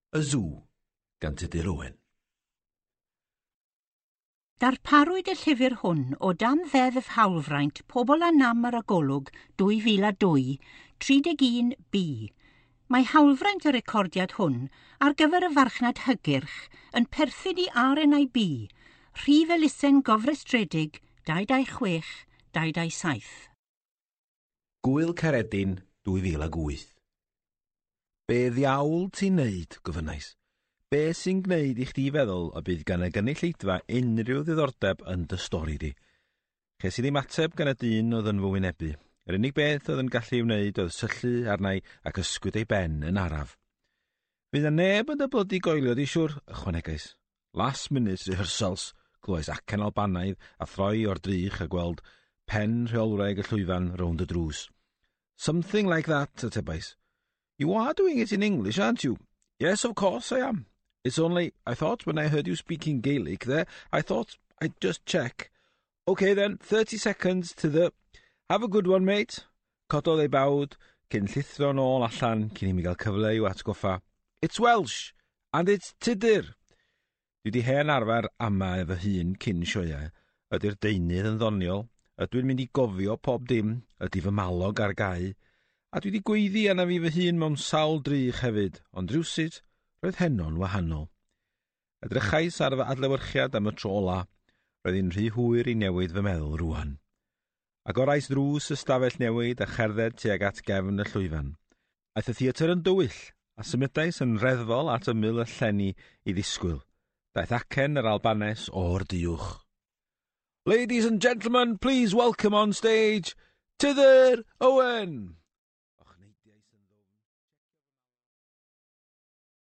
Y Sw gan Tudur Owen. Darparwyd y llyfr hwn o dan Ddeddf Hawlfraint Pobl â Nam ar y Golwg 2002, 31B. Mae hawlfraint y recordiad hwn ar gyfer y farchnad hygyrch yn perthyn i RNIB, rhif elusen gofrestredig 226 227. Gŵyl Caeredin 2008. Be ddiawl ti'n neud, gofynnais. Be sy'n gwneud i chdi feddwl y bydd gan y gynulleidfa unrhyw ddiddordeb yn dy stori di? Ches i ddim ateb gan y dyn oedd yn fy wynebu. Yr unig beth oedd yn gallu ei wneud oedd syllu arna i ac ysgwyd ei ben yn araf. Fydd 'na neb yn dy blydi goelio di siwr, ychwanegais. Last minute rehearsals, clywais acen Albanaidd a throi o'r drych a gweld pen rheolwraig y llwyfan rownd y drws. Something like that, atebais. You are doing it in English, aren't you? Yes, of course I am. It's only, I thought when I heard you speaking Gaelic there, I thought I'd just check. Okay then, 30 seconds to the... Have a good one, mate. Cododd ei bawd cyn llithro nôl allan cyn i mi gael cyfle i'w atgoffa. It's Welsh, and it's Tudur. Dwi 'di hen arfer amau fy hun cyn sioeau. Ydy'r deunydd yn ddoniol? Ydw i'n mynd i gofio pob dim? Ydy fy malog ar gau? A dwi 'di gweiddi arna fi fy hun mewn sawl drych hefyd, ond rywsut, roedd heno'n wahanol. Edrychais ar fy adlewyrchiad am y tro ola. Roedd hi'n rhy hwyr i newid fy meddwl rwan. Agorais ddrws y stafell newid a cherdded tuag at gefn y llwyfan. Aeth y theatr yn dywyll, a symudais yn reddfol at ymyl y llenni i ddisgwyl. Daeth acen yr Albanes o'r duwch. Ladies and gentlemen, please welcome on stage Tudur Owen!